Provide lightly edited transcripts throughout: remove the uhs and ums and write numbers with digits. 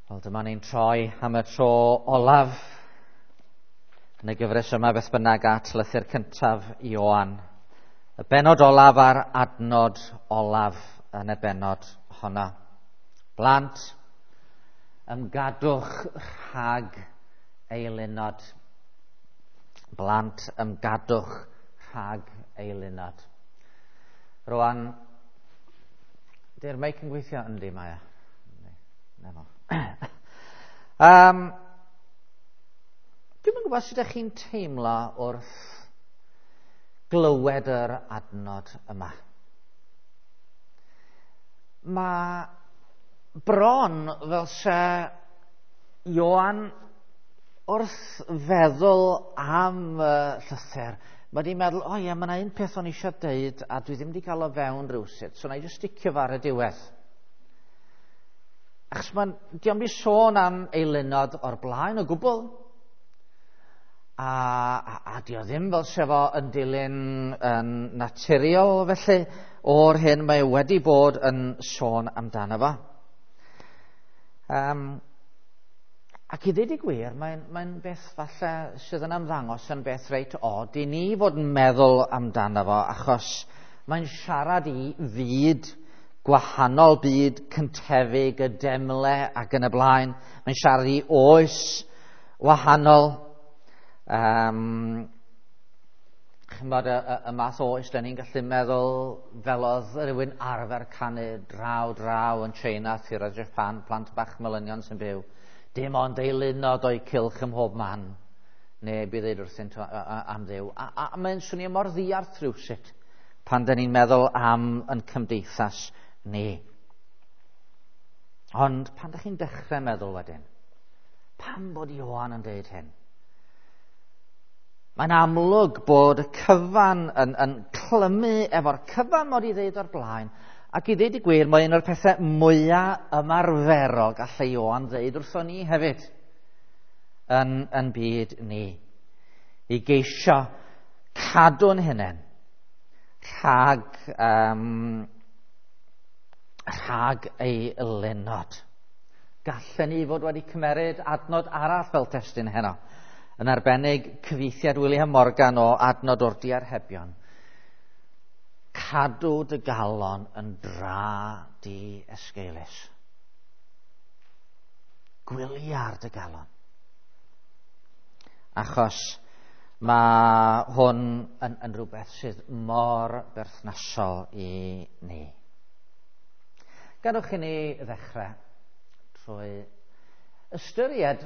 Wel, dyma ni'n troi am y tro olaf yn y gyfres yma beth bynnag at lythyr cyntaf Ioan. Y bennod olaf a'r adnod olaf yn y bennod honno. Blant, ymgadwch rhag eilunod. Blant, ymgadwch rhag eilunod. Rwan, di'r meic yn gweithio? Yndi, mae e. Na fo. Dwi'm yn gwybod sut ydych chi'n teimlo wrth glywed yr adnod yma. Mae bron fel se Ioan wrth feddwl am y llythyr, mae wedi meddwl, o ie, mae yna un peth o'n eisiau deud a dwi ddim wedi cael o fewn rhywsut, so na i jyst sticio fo ar y diwedd. Achos mae'n, diolch wedi sôn am eilunod o'r blaen o gwbl. A dio ddim fel se fo yn dilyn yn naturiol felly o'r hyn mae wedi bod yn sôn amdano fo. Ac i ddweud y gwir, mae'n beth falle sydd yn ymddangos yn beth reit od i ni fod yn meddwl amdano fo, achos mae'n siarad i fyd gwahanol, byd cyntefig, y demle ac yn y blaen. Mae'n siarad i oes wahanol. Ch'mod, y math o oes da ni'n gallu meddwl fel oedd rhywun arfer canu draw draw yn China, Thira Japan, plant bach melynion sy'n byw. Dim ond eilunod o'i cylch ym mhob man. Neb i ddeud wrthynt am Dduw. A mae'n swnio mor ddiarth rhywsut pan da ni'n meddwl am yn cymdeithas ni. Ond pan da chi'n dechrau meddwl wedyn, pam bod Ioan yn deud hyn? Mae'n amlwg bod y cyfan yn clymu efo'r cyfan mod i ddeud o'r blaen, ac i ddeud y gwir, mae un o'r pethau mwyaf ymarferol gallai Ioan ddeud wrthon ni hefyd yn byd ni. I geisio cadw'n hunain rhag ei lenod. Gallen ni fod wedi cymeryd adnod arall fel testun heno, yn arbennig cyfieithiad William Morgan o adnod o'r diarhebion. Cadw dy galon yn dra di esgeulus. Gwylia'r dy galon. Achos mae hwn yn rhywbeth sydd mor berthnasol i ni. Gadewch i ni ddechrau trwy ystyried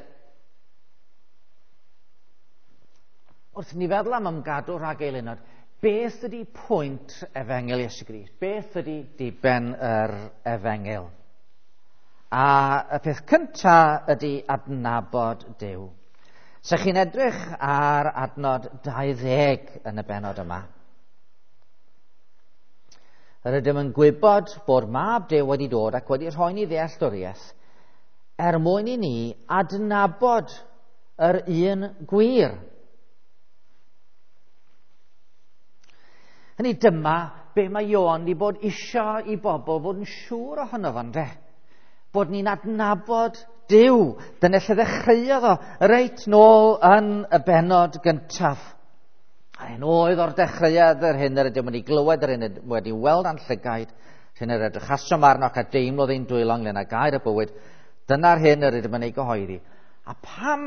wrth ni feddwl am ymgadw rhag eilunod, beth ydy pwynt Efengyl Iesu Grist? Beth ydy diben yr Efengyl? A y peth cyntaf ydy adnabod Duw. Se chi'n edrych ar adnod 20 yn y bennod yma, yr ydym yn gwybod bod Mab Duw wedi dod ac wedi rhoi ni ddealltwriaeth er mwyn i ni adnabod yr un gwir. Hynny dyma be mae Ioan wedi bod isio i bobl fod yn siŵr ohono fo, ynde? Bod ni'n adnabod Duw. Dyna lle ddechreuodd o reit nôl yn y bennod gyntaf. A hyn oedd o'r dechreuad yr hyn yr ydym wedi glywed, yr hyn ydym wedi weld a'n llygaid, yr hyn yr edrychasom arno ac a deimlodd ein dwylo ynglyn â gair y bywyd. Dyna'r hyn yr ydym yn ei gyhoeddi. A pam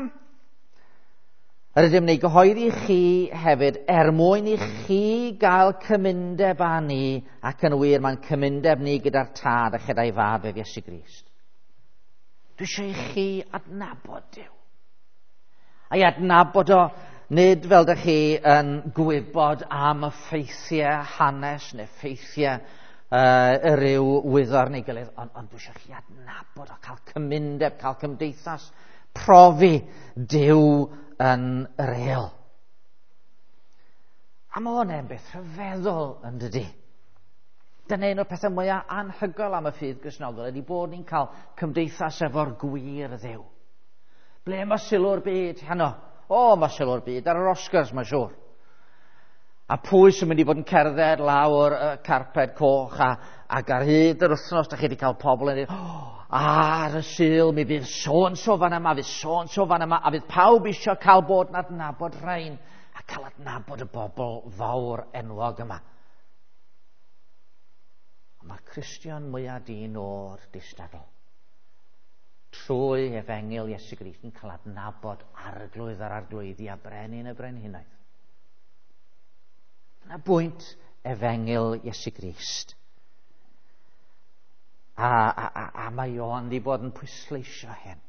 yr ydym yn ei gyhoeddi chi hefyd er mwyn i chi gael cymundeb â ni, ac yn wir mae'n cymundeb ni gyda'r Tad a chyda'i Fab ef Iesu Grist. Dwi eisiau i chi adnabod Duw. A'i adnabod o nid fel dych chi yn gwybod am y ffeithiau hanes neu ffeithiau y ryw wyddor neu gilydd, ond dwi eisiau chi adnabod o, cael cymundeb, cael cymdeithas, profi Duw yn real. A mae hwnna'n beth rhyfeddol yn dydi? Dyna un o'r pethau mwyaf anhygoel am y ffydd Gristnogol ydy bod ni'n cael cymdeithas efo'r gwir Dduw. Ble mae sylw'r byd heno? O, mae sylw'r byd ar yr Oscars, mae'n siŵr. A pwy sy'n mynd i fod yn cerdded lawr y carped coch ac ar hyd yr wythnos, da chi wedi cael pobl yn dweud, o, Ar y Sul mi fydd so-and-so fan yma, fydd so-and-so fan yma, a fydd pawb eisiau cael bod yn adnabod rhain a cael adnabod y bobl fawr enwog yma. Ond mae'r Cristion mwyaf di-nod distadl trwy efengyl Iesu Grist yn cael adnabod arglwydd yr arglwyddi a brenin y brenhinoedd. Dyna bwynt efengyl Iesu Grist. A mae Ioan wedi bod yn pwysleisio hyn.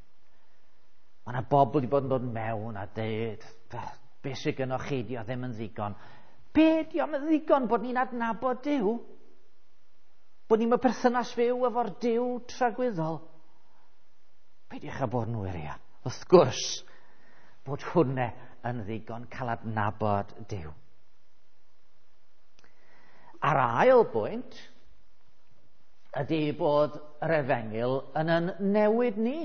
Mae yna bobl wedi bod yn dod mewn a dweud, be sydd gynnoch chi, di o ddim yn ddigon. Be di o'm yn ddigon bod ni'n adnabod Duw? Bod ni'n perthynas fyw efo'r Duw tragwyddol? Peidiwch â bod yn wirion. Wrth gwrs, bod hwnna yn ddigon cael adnabod Duw. A'r ail bwynt ydy bod yr efengyl yn yn newid ni.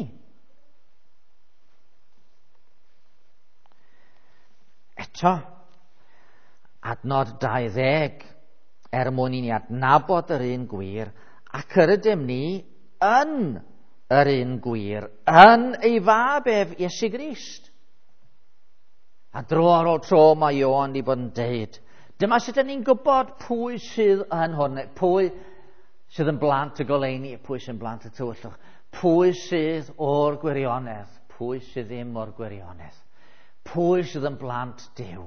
Eto, adnod 20, er mwyn i ni adnabod yr un gwir, ac yr ydym ni yn yr un gwir, yn ei fab ef Iesu Grist. A dro ar ôl tro mae Ioan wedi bod yn deud, dyma sut ydyn ni'n gwybod pwy sydd yn hwn, pwy sydd yn blant y goleuni, pwy sydd yn blant y tywyllwch, pwy sydd o'r gwirionedd, pwy sydd ddim o'r gwirionedd, pwy sydd yn blant Duw.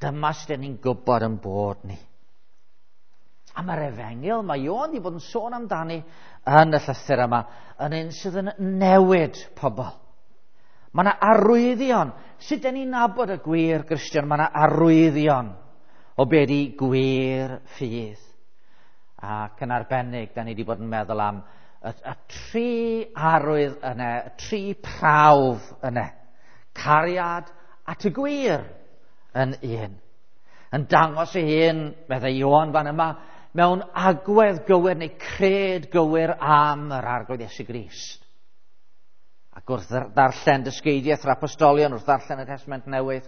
Dyma sut ydyn ni'n gwybod yn bod ni. A mae'r efengyl, mae Ioan wedi bod yn sôn amdani yn y llythyr yma, yn un sydd yn newid pobl. Mae yna arwyddion. Sut ydyn ni'n nabod y gwir Gristion? Mae yna arwyddion o be di gwir ffydd. Ac yn arbennig, da ni wedi bod yn meddwl am y tri arwydd yna, y tri prawf yna. Cariad at y gwir yn un. Yn dangos ei hun, meddai Ioan fan yma, mewn agwedd gywir neu cred gywir am yr Arglwydd Iesu Grist. Ac wrth ddarllen dysgeidiaeth yr apostolion, wrth ddarllen y Testament Newydd,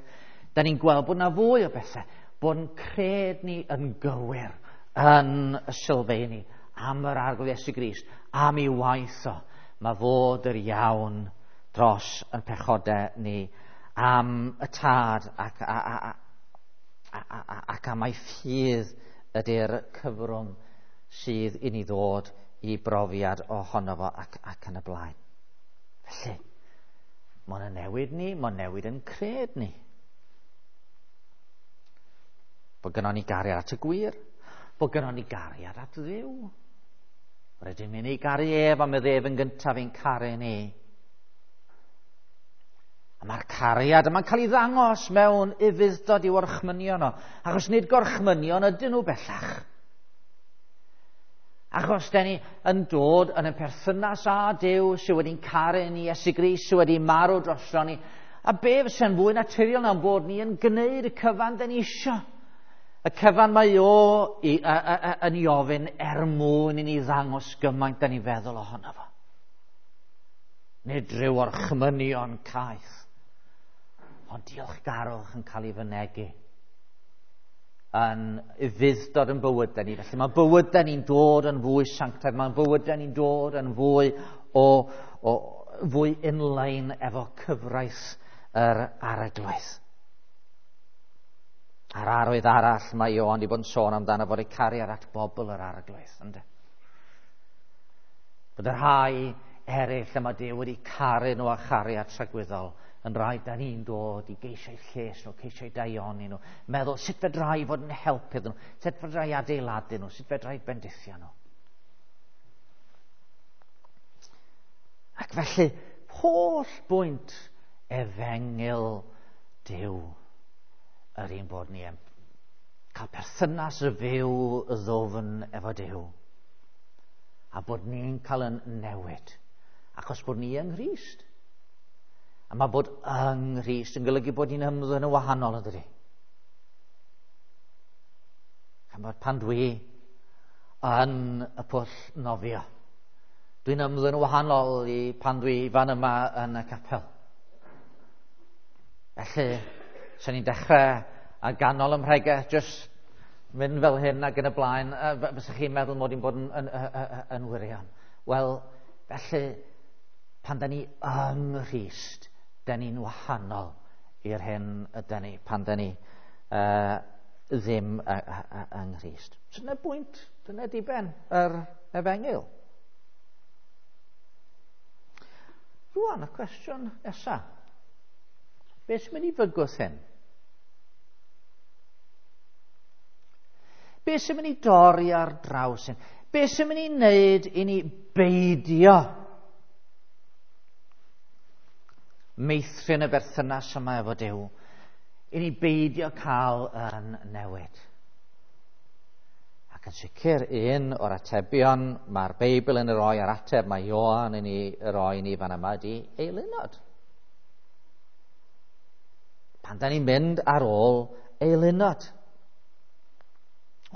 da ni'n gweld bod yna fwy o bethau, bod yn cred ni yn gywir yn y sylfaeni am yr Arglwydd Iesu Grist, am ei waith o. Mae fod yr iawn dros yn pechodau ni, am y tad ac am ei ffydd ydy'r cyfrwng sydd i ni ddod i brofiad ohono fo ac yn y blaen. Felly, mae'n newid ni, mae'n newid yn cred ni. Bod gynnon ni gariad at y gwir, bod gynnon ni gariad at Dduw. Rydym ni'n ei garu ef, am iddo ef yn gyntaf i'n caru ni. A mae'r cariad yma'n cael ei ddangos mewn ufudd-dod i'w orchmynion o, achos nid gorchmynion ydyn nhw bellach. Achos da ni yn dod yn y perthynas â Duw sydd wedi'n caru ni, Iesu Grist sydd wedi marw drosto ni. A be fysa'n fwy naturiol na'n bod ni yn gwneud y cyfan da ni isio. Y cyfan mae o yn ei ofyn er mwyn i ni ddangos gymaint da ni feddwl ohono fo. Nid rhyw orchmynion caeth, ond diolchgarwch yn cael ei fynegi yn ufudd-dod yn bywydau ni. Felly mae bywydau ni'n dod yn fwy sanctaidd, mae bywydau ni'n dod yn fwy fwy inline efo cyfraith yr Arglwydd. A'r arwydd arall mae Ioan wedi bod yn sôn amdano fod ei cariad at bobl yr Arglwydd, ynde? Bod y rhai eraill yma Duw wedi caru nhw a chariad tragwyddol yn rhai da ni'n dod i geisio lles nhw, ceisio daioni nhw, meddwl sut fedra i fod yn help iddyn nhw, sut fedra i adeiladu nhw, sut fedra i bendithio nhw. Ac felly, holl bwynt efengyl Duw yr un bod ni yn cael perthynas y fyw y ddwfn efo Duw, a bod ni'n cael yn newid, achos bod ni yng Nghrist. A mae bod yng Nghrist yn golygu bod ni'n ymddwyn yn wahanol, yn dydi? Ch'mod, pan dwi yn y pwll nofio, dwi'n ymddwyn yn wahanol i pan dwi fan yma yn y capel. Felly, sen ni'n dechrau ar ganol ym mhregeth, jyst mynd fel hyn ac yn y blaen, fysa chi'n meddwl mod i'n bod yn wirion. Wel, felly, pan da ni yng Nghrist, da ni'n wahanol i'r hyn ydy ni pan da ni ddim yng Nghrist. Dyna bwynt, dyna diben yr efengyl. Rwan, y cwestiwn nesaf. Beth sy'n mynd i fygwth hyn? Beth sy'n mynd i dorri ar draws hyn? Beth sy'n mynd i wneud i ni beidio meithrin y berthynas yma efo Duw, i ni beidio cael yn newid? Ac yn sicr, un o'r atebion mae'r Beibl yn ei roi a'r ateb mae Ioan yn ei roi ni fan yma ydy eilunod. Pan da ni'n mynd ar ôl eilunod.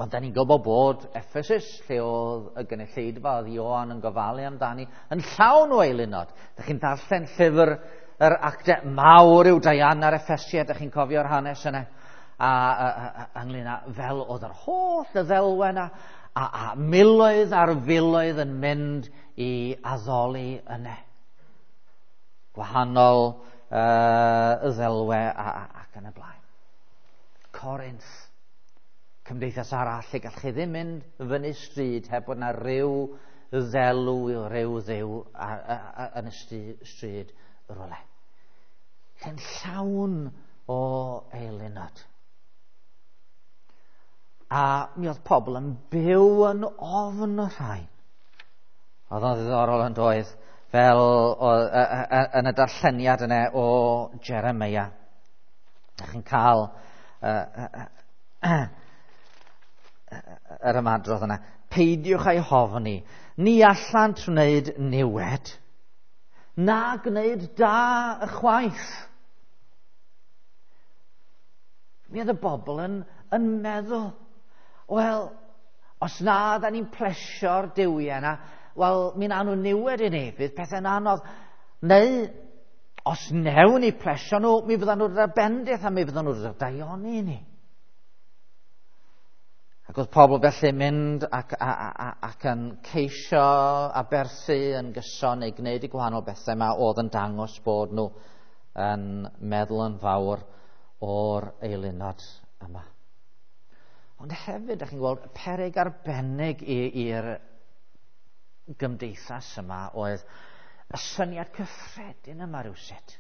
Ond da ni'n gwybod bod Ephesus, lle oedd y gynulleidfa oedd Ioan yn gofalu amdani, yn llawn o eilunod. Da chi'n darllen llyfr yr actau mawr yw Diana'r Ephesiad, da chi'n cofio'r hanes yna, a ynglyn â fel oedd yr holl y ddelwen a miloedd ar filoedd yn mynd i addoli yna. Gwahanol y ddelwe ac yn y blaen. Corinth, cymdeithas arall lle gallwch chi ddim mynd fyny stryd heb bod na ryw ddelw ryw ddew yn y stryd rywle. Lle'n llawn o eilunod. A mi oedd pobl yn byw yn ofn y rhain. Oedd o'n ddiddorol yn doedd, fel yn y darlleniad yna o Jeremia. Dach chi'n cael yr ymadrodd yna. Peidiwch â'i hofni. Ni allant wneud niwed, na gwneud da ychwaith. Mi oedd y bobl yn meddwl, wel, os na da ni'n plesio'r duwiau yna, wel, mi wnawn nhw niwed i ni, fydd pethau'n anodd. Neu, os newn ni plesio nhw, mi fyddan nhw'n dod â bendith a mi fyddan nhw'n dod â daioni i ni. Ac oedd pobl felly mynd ac yn ceisio aberthu yn gyson neu gwneud y gwahanol bethau yma oedd yn dangos bod nhw yn meddwl yn fawr o'r eilunod yma. Ond hefyd, ydych chi'n gweld, peryg arbennig i'r gymdeithas yma oedd y syniad cyffredin yma rywsut.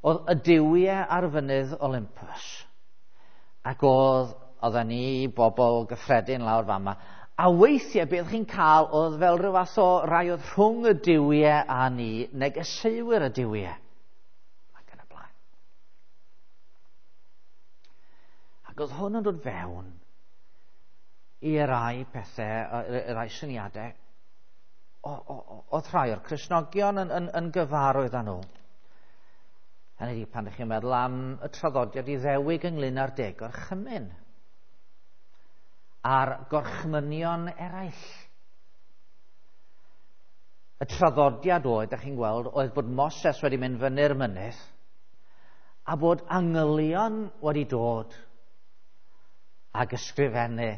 Oedd y duwiau ar fynydd Olympus, ac oedden ni bobl gyffredin lawr fama, a weithiau beth chi'n cael oedd fel rhyw fath o rai oedd rhwng y duwiau a ni, negeseuwyr y duwiau. Ac yn y blaen. Ac oedd hwn yn dod fewn i rai pethau, rai syniadau, oedd rhai o'r Cristnogion yn gyfarwydd â nhw. Hynny ydi, pan ydych chi'n meddwl am y traddodiad Iddewig ynglyn â'r deg gorchymyn a'r gorchmynion eraill. Y traddodiad oedd, ydych chi'n gweld, oedd bod Moses wedi mynd fyny'r mynydd a bod angylion wedi dod ac ysgrifennu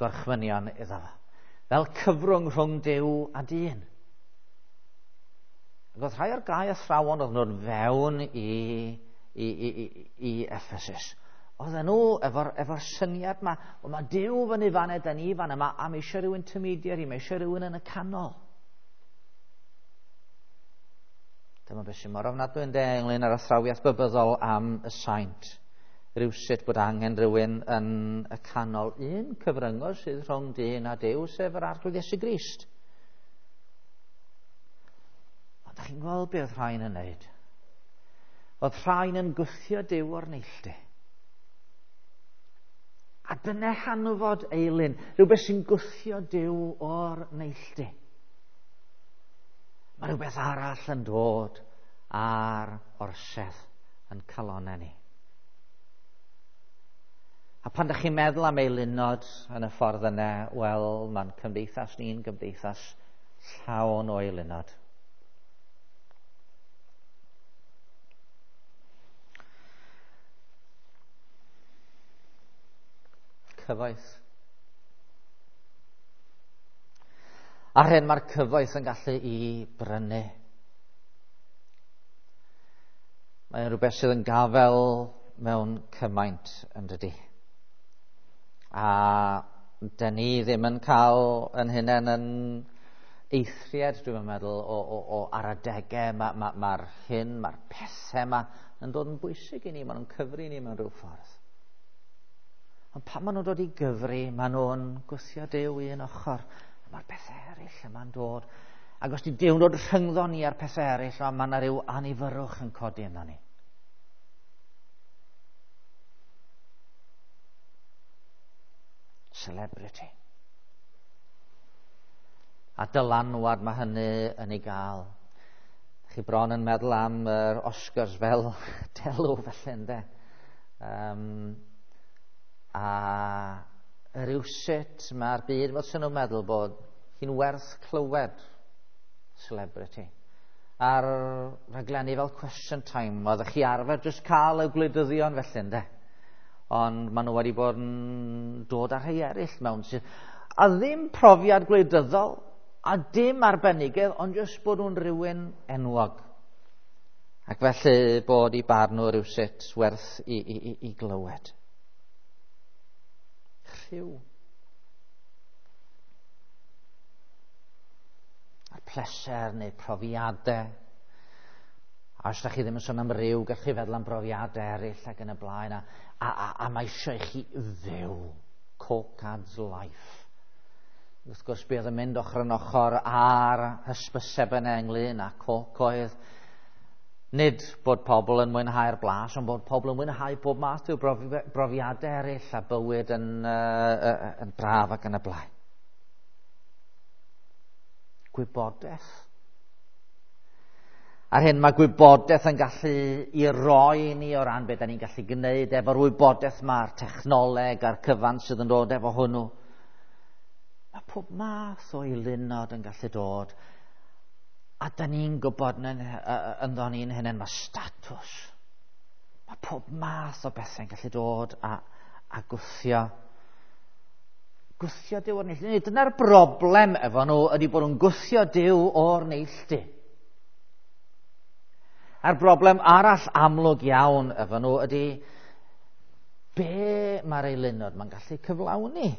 gorchmynion iddo fo, fel cyfrwng rhwng Duw a dyn. Ac oedd rhai o'r gau athrawon oedd nhw'n fewn i Ephesus. Oedden nhw efo'r syniad yma, o mae Duw fyny fan da ni fan yma, a mae eisiau rhywun intermediary, mae eisiau rhywun yn y canol. Dyma beth sy'n mor ofnadwy yn de ynglyn â'r athrawiaeth bybyddol am y saint. Rywsut bod angen rhywun yn y canol, un cyfryngwr sydd rhwng dyn a Duw, sef yr Arglwydd Iesu Grist. Ond da chi'n gweld beth oedd rhain yn wneud? Oedd rhain yn gwthio Duw o'r neilltu. A dyna hanfod eilun, rhywbeth sy'n gwthio Duw o'r neilltu. Mae rhywbeth arall yn dod ar orsedd yn calonau ni. A pan ydych chi'n meddwl am eilunod yn y ffordd yna, wel, mae'n cymdeithas ni'n gymdeithas llawn o eilunod. Cyfoeth. A'r hyn mae'r cyfoeth yn gallu i brynu. Mae'n rhywbeth sydd yn gafel mewn cymaint yn dydy. A dyn ni ddim yn cael yn hunain yn eithriad, dwi'n meddwl, o ar adegau. Mae'r hyn, mae'r pethau yma yn dod yn bwysig i ni, maen nhw'n cyfri ni mewn rhyw ffordd. Ond pan maen nhw'n dod i gyfri, maen nhw'n gwthio Duw i un ochr. A mae'r pethau eraill yma'n dod. Ac os di Duw'n dod rhyngddo ni a'r pethau eraill, mae yna rhyw anifyrwch yn codi yno ni. Celebrity. A dylanwad mae hynny yn ei gael. Chi bron yn meddwl am yr Oscars fel delw felly, ynde? A rywsut mae'r byd fel sy'n nhw'n meddwl bod hi'n werth clywed celebrity. A'r rhaglenni fel Question Time, oeddech chi arfer jyst cael y gwleidyddion felly, ynde? Ond maen nhw wedi bod yn dod â rhai eraill mewn sydd a ddim profiad gwleidyddol, a dim arbenigedd, ond jyst bod nhw'n rhywun enwog. Ac felly bod i barn nhw rywsut werth i glywed. Rhyw. A'r pleser neu profiadau. A os da chi ddim yn sôn am ryw, gallwch chi feddwl am brofiadau eraill ac yn y blaen. A mae eisiau i chi fyw. Coke adds life. Wrth gwrs, bydd yn mynd ochr yn ochr â'r hysbyseb yna ynglyn â coke oedd nid bod pobl yn mwynhau'r blas, ond bod pobl yn mwynhau pob math o brofiadau eraill a bywyd yn braf ac yn y blaen. Gwybodaeth. A'r hyn mae gwybodaeth yn gallu i roi ni o ran beth da ni'n gallu gwneud efo'r wybodaeth mae'r technoleg a'r cyfan sydd yn dod efo hwnnw. Mae pob math o eilunod yn gallu dod. A da ni'n gwybod ynddo ni'n hynny, mae statws. Mae pob math o bethau'n gallu dod a gwthio. Gwthio Duw o'r neilltu. Dyna'r broblem efo nhw ydy bod nhw'n gwthio Duw o'r neilltu. A'r broblem arall amlwg iawn efo nhw ydy be mae'r eilunod mae'n gallu cyflawni.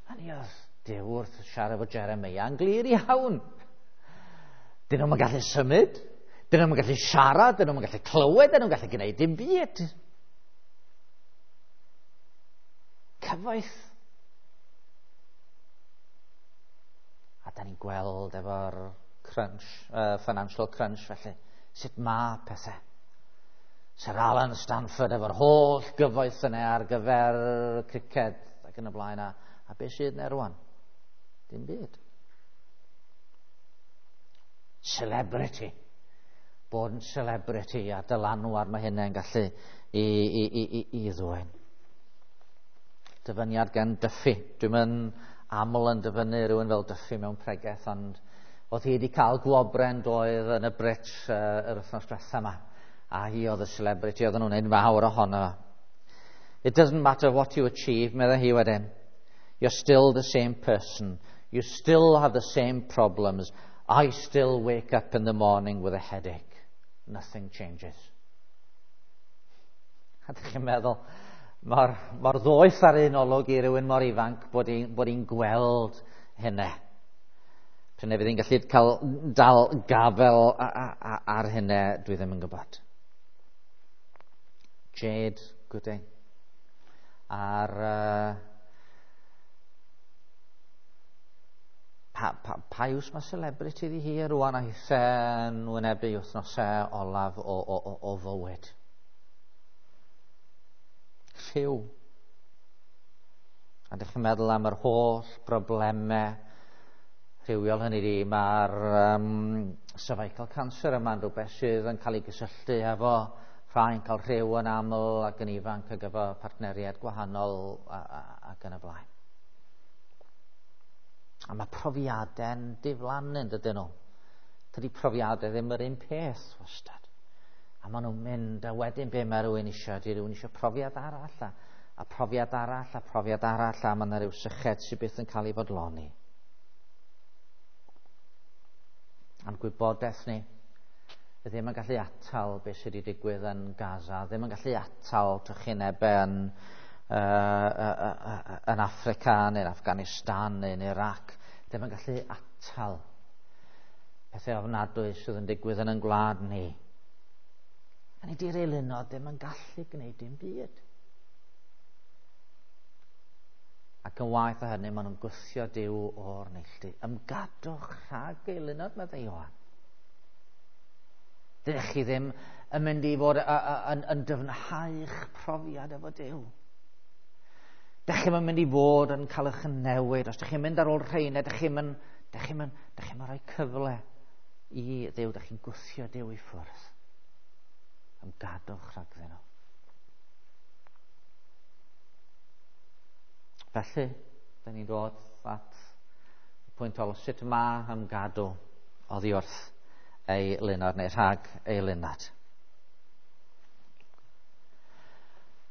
A ni oedd Duw wrth siarad efo Jeremia yn glir iawn. Dyn nhw'n gallu symud, dyn nhw'n gallu siarad, dyn nhw'n gallu clywed, dyn nhw'n gallu gwneud dim byd. Cyfoeth. A da ni'n gweld efo'r crunch, financial crunch felly, sut mae pethau. Sir Alan Stanford efo'r holl gyfoeth yna ar gyfer criced ac yn y blaen, a beth sydd yna rwan? Dim byd. Celebrity. Bod yn celebrity a dylanwad mae hynny'n gallu i ddwyn. Dyfyniad gan Duffy. Dwi'n mynd aml yn dyfynnu rhywun fel Duffy mewn pregeth, ond oedd hi wedi cael gwobren doedd yn y Brits yr wythnos diwetha yma. A hi oedd y celebrity, oedden nhw'n gwneud fawr ohono. It doesn't matter what you achieve, meddai hi wedyn. You're still the same person. You still have the same problems. I still wake up in the morning with a headache. Nothing changes. A ydych chi'n meddwl, mor ddoeth ar un olwg i rywun mor ifanc bod hi'n gweld hynny. Pryd fydd hi'n gallu cael dal gafel ar hynny, dwi ddim yn gwybod. Jade Gooding. A'r pa iws mae celebrity iddi hi rwan a hithe'n wynebu wythnosau olaf o fywyd. Rhyw. A ydych chi'n meddwl am yr holl broblemau rhywiol hynny di, mae'r cervical cancer yma'n rhywbeth sydd yn cael ei gysylltu efo rhai'n cael rhyw yn aml ac yn ifanc ac efo partneriaid gwahanol ac yn y blaen. A mae profiadau'n diflannu, dydyn nhw. Dydy profiadau ddim yr un peth wastad. A maen nhw'n mynd, a wedyn be mae rhywun eisiau? Ydy rhywun eisiau profiad arall, a profiad arall, a profiad arall, a mae yna rhyw syched sydd byth yn cael ei fodloni. A'n gwybodaeth ni ddim yn gallu atal beth sydd wedi digwydd yn Gaza, ddim yn gallu atal trychinebau yn Affrica neu'n Afghanistan neu'n Iraq, ddim yn gallu atal pethau ofnadwy sydd yn digwydd yn ein gwlad ni. A ni di'r eilunod ddim yn gallu gwneud dim byd. Ac yn waeth o hynny, maen nhw'n gwthio Duw o'r neilltu. Ymgadwch rhag eilunod, meddai Ioan. Dydych chi ddim yn mynd i fod yn dyfnhau'ch profiad efo Duw. Dych chi'm yn mynd i fod yn cael eich newid. Os dych chi'n mynd ar ôl rheina, dych chi'm yn rhoi cyfle i Dduw. Dych chi'n gwthio Duw i ffwrdd. Ymgadwch rhagddyn nhw. Felly, da ni'n dod at y pwynt ôl, sut mae ymgadw oddi wrth ei lunod neu rhag ei lunod?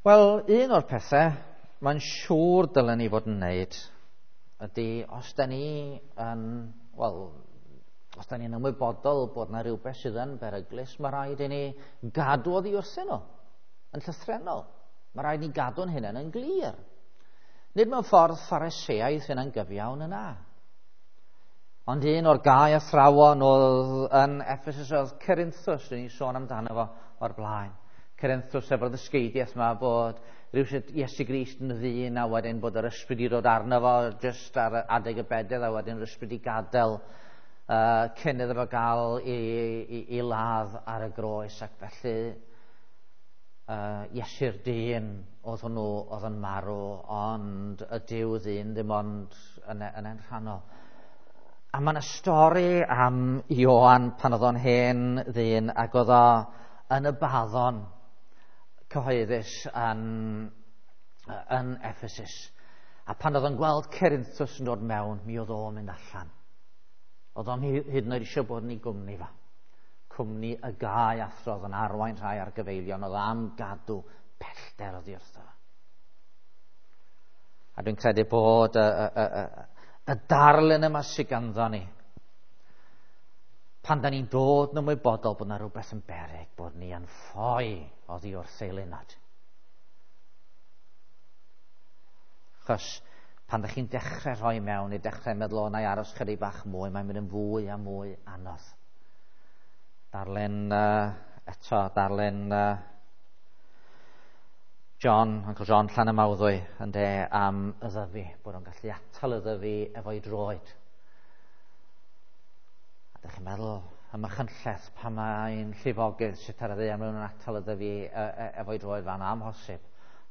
Wel, un o'r pethau mae'n siŵr dylen ni fod yn wneud ydy, os da ni yn, wel, os da ni'n ymwybodol bod yna rhywbeth sydd yn beryglus, mae rhaid i ni gadw oddi wrthyn nhw, yn llythrennol. Mae rhaid i ni gadw'n hunain yn glir. Nid mewn ffordd Phariseaidd hynna'n gyfiawn yna. Ond un o'r gau athrawon oedd yn Ephesus oedd Cerinthus, dyn ni'n sôn amdano fo o'r blaen. Cerinthus efo'r ddysgeidiaeth yma bod rhywsut Iesu Grist yn ddyn a wedyn bod yr ysbryd i ddod arno fo jyst ar adeg y bedydd a wedyn yr ysbryd i gadael cyn iddo fo gael i ladd ar y groes, ac felly Iesu'r dyn oedd hwnnw oedd yn marw, ond y Duw ddyn ddim ond yn yn rhannol. A mae yna stori am Ioan pan oedd o'n hen ddyn ac oedd o yn y baddon cyhoeddus yn Ephesus. A pan oedd o'n gweld Cerinthus yn dod mewn, mi oedd o'n mynd allan. Oedd o'n hyd yn oed eisiau bod yn ei gwmni fa. Cwmni y gau athro oedd yn arwain rhai ar gyfeillion, oedd am gadw pellter oddi wrtho. A dwi'n credu bod y darlun yma sydd ganddo ni, pan da ni'n dod yn ymwybodol bod yna rhywbeth yn beryg, bod ni yn ffoi oddi wrth eilunod. Achos pan da chi'n dechrau rhoi mewn, i dechrau meddwl o na i aros chydig bach mwy, mae'n mynd yn fwy a mwy anodd. Darllen eto, darllen John, Uncle John Llanymawddwy, ynde, am y ddyfi, bod o'n gallu atal y ddyfi efo'i droed. A dych chi'n meddwl am y chynlleth pan mae'n llifogydd sut ar y ddaear maen nhw'n atal y ddyfi efo'i droed fan amhosib.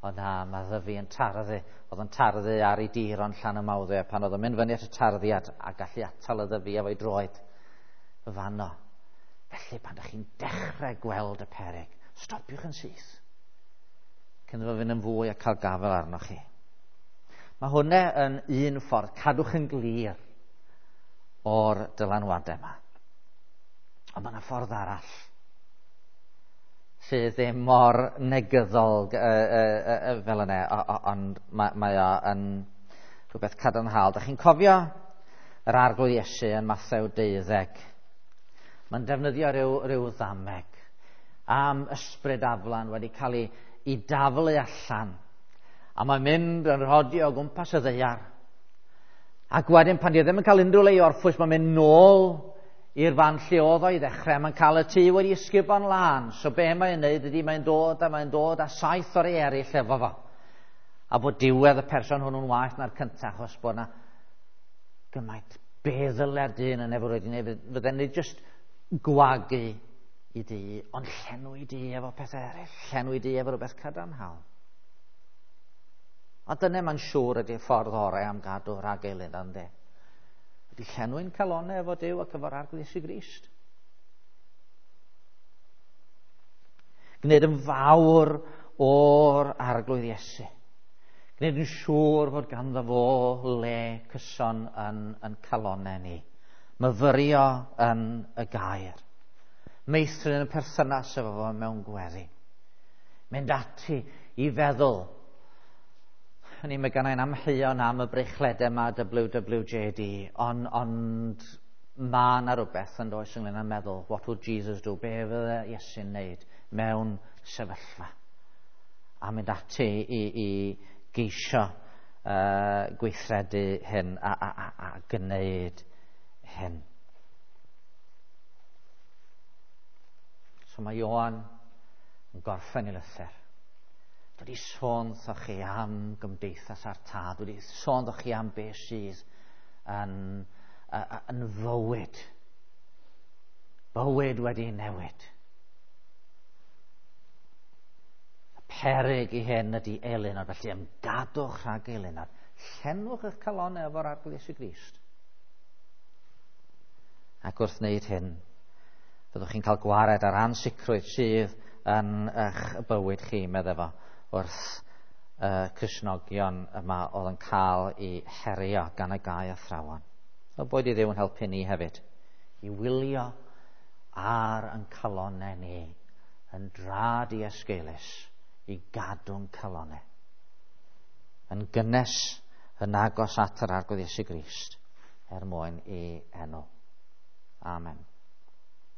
Ond na, mae ddyfi yn tarddu, oedd yn tarddu ar ei dir o'n Llanymawddwy, a pan oedd o'n mynd fyny at y tarddiad a gallu atal y ddyfi efo'i droed fanno. Felly pan ydych chi'n dechrau gweld y peryg, stopiwch yn syth. Cyn iddo fynd yn fwy a cael gafael arnoch chi. Mae hwnna yn un ffordd, cadwch yn glir o'r dylanwadau yma. Ond mae yna ffordd arall sydd ddim mor negyddol fel yna, ond mae o yn rhywbeth cadarnhaol. Dach chi'n cofio yr Arglwydd Iesu yn Mathew 12? Mae'n defnyddio rhyw ddameg am ysbryd aflan wedi cael ei daflu allan. A mae'n mynd yn rhodio o gwmpas y ddaear. Ac wedyn pan di ddim yn cael unrhyw le i orffwys, mae'n mynd nôl i'r fan lle oedd o i ddechrau. Mae'n cael y tŷ wedi ysgubo'n lân. So be mae'n neud ydy mae'n dod a 7 o'r eraill efo fo. A bod diwedd y person hwnnw'n waeth na'r cyntaf, achos bod yna gymaint be ddyle'r dyn yn efo wedi wneud. Fydden ni jyst gwagu i dŷ, ond llenwi dŷ efo pethau eraill, llenwi dŷ efo rhywbeth cadarnhaol. A dyna mae'n siŵr ydy'r ffordd orau am gadw rhag eilun, ynddi? Ydy llenwi'n calonau efo Duw ac efo'r Arglwydd Iesu Grist. Gwneud yn fawr o'r Arglwydd Iesu. Gwneud yn siŵr fod ganddo fo le cyson yn calonau ni. Myfyrio yn y gair. Meithrin y perthynas efo fo mewn gweddi. Mynd ati i feddwl. Ni mae gennai'n amheuon am y breichledau yma WWJD, ond Mae yna rhywbeth yn does ynglyn â meddwl, what would Jesus do? Be fydde Iesu'n wneud mewn sefyllfa? A mynd ati i geisio gweithredu hyn a gwneud hyn. So mae Ioan yn gorffen ei lythyr. Dwi wedi sôn wrthoch chi am gymdeithas a'r tad. Dwi wedi sôn wrthoch chi am beth sydd yn fywyd. Bywyd wedi newid. Y peryg i hyn ydy eilunod, felly ymgadwch rhag eilunod. Llenwch eich calonnau efo'r Arglwydd Iesu Grist. Ac wrth wneud hyn, byddwch chi'n cael gwared ar ansicrwydd sydd yn eich bywyd chi, meddai fo, wrth y Cristnogion yma oedd yn cael eu herio gan y gau athrawon. O boed i Dduw yn helpu ni hefyd i wylio ar yn calonnau ni yn dra diesgeulus i gadw'n calonnau yn gynnes yn agos at yr Arglwydd Iesu Grist er mwyn ei enw. Amen.